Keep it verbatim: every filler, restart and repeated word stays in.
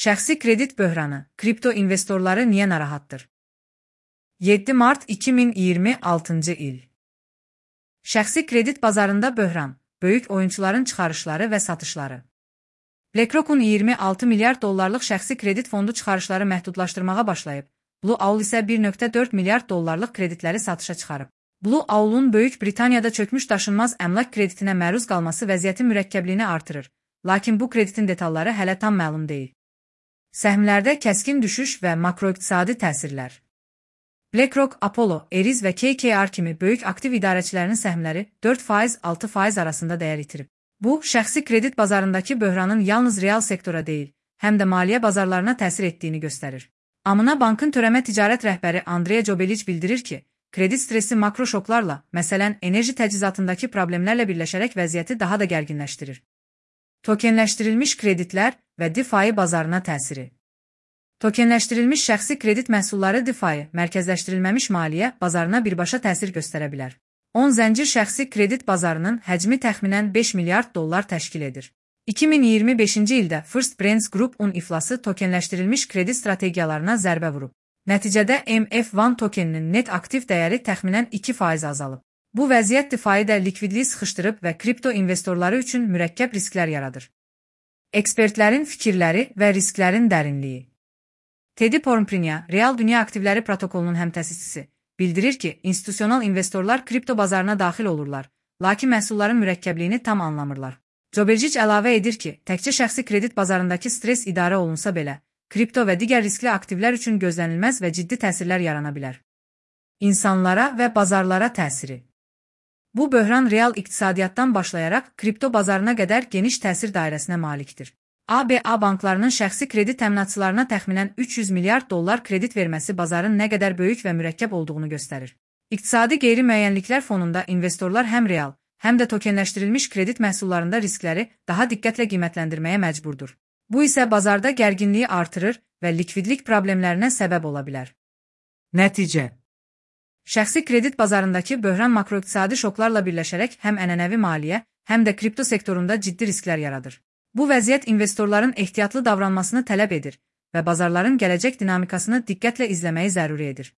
Şəxsi kredit böhranı, kripto investorları niyə narahatdır? yeddi mart iki min iyirmi altıncı il. Şəxsi kredit bazarında böhran, böyük oyunçuların çıxarışları və satışları. BlackRock'un iyirmi altı milyard dollarlıq şəxsi kredit fondu çıxarışları məhdudlaşdırmağa başlayıb. Blue Owl isə bir nöqtə dörd milyard dollarlıq kreditləri satışa çıxarıb. Blue Owl'un Böyük Britaniyada çökmüş daşınmaz əmlak kreditinə məruz qalması vəziyyətin mürəkkəbliyini artırır, lakin bu kreditin detalları hələ tam məlum deyil. Səhmlərdə kəskin düşüş və makroiqtisadi təsirlər. BlackRock, Apollo, Ares və K K R kimi böyük aktiv idarəçilərinin səhmləri dörd faiz altı faiz arasında dəyər itirib. Bu, şəxsi kredit bazarındakı böhranın yalnız real sektora deyil, həm də maliyyə bazarlarına təsir etdiyini göstərir. Amına Bankın törəmə ticarət rəhbəri Andrea Jobelic bildirir ki, kredit stresi makro şoklarla, məsələn, enerji təchizatındakı problemlərlə birləşərək vəziyyəti daha da gərginləşdirir. Tokenləşdirilmiş kreditlər və DeFi bazarına təsiri. Tokenləşdirilmiş şəxsi kredit məhsulları DeFi, mərkəzləşdirilməmiş maliyyə bazarına birbaşa təsir göstərə bilər. on zəncir şəxsi kredit bazarının həcmi təxminən beş milyard dollar təşkil edir. iki min iyirmi beşinci ildə First Brands Group-un iflası tokenləşdirilmiş kredit strategiyalarına zərbə vurub. Nəticədə M F bir tokeninin net aktiv dəyəri təxminən iki faiz azalıb. Bu vəziyyət DeFi-də likvidliyi sıxışdırıb və kripto investorları üçün mürəkkəb risklər yaradır. Ekspertlərin fikirləri və risklərin dərinliyi. Teddy Pormprinya, Real Dünya Aktivləri Protokolunun həmtəsisçisi, bildirir ki, institusional investorlar kripto bazarına daxil olurlar, lakin məhsulların mürəkkəbliyini tam anlamırlar. Jobelcic əlavə edir ki, təkcə şəxsi kredit bazarındakı stres idarə olunsa belə, kripto və digər riskli aktivlər üçün gözlənilməz və ciddi təsirlər yarana bilər. İnsanlara və bazarlara təsiri. Bu böhran real iqtisadiyyatdan başlayaraq kripto bazarına qədər geniş təsir dairəsinə malikdir. A B A banklarının şəxsi kredit təminatçılarına təxminən üç yüz milyard dollar kredit verməsi bazarın nə qədər böyük və mürəkkəb olduğunu göstərir. İqtisadi qeyri-müəyyənliklər fonunda investorlar həm real, həm də tokenləşdirilmiş kredit məhsullarında riskləri daha diqqətlə qiymətləndirməyə məcburdur. Bu isə bazarda gərginliyi artırır və likvidlik problemlərinə səbəb ola bilər. Nəticə. Şəxsi kredit bazarındakı böhran makroiqtisadi şoklarla birləşərək həm ənənəvi maliyyə, həm də kripto sektorunda ciddi risklər yaradır. Bu vəziyyət investorların ehtiyatlı davranmasını tələb edir və bazarların gələcək dinamikasını diqqətlə izləməyi zəruri edir.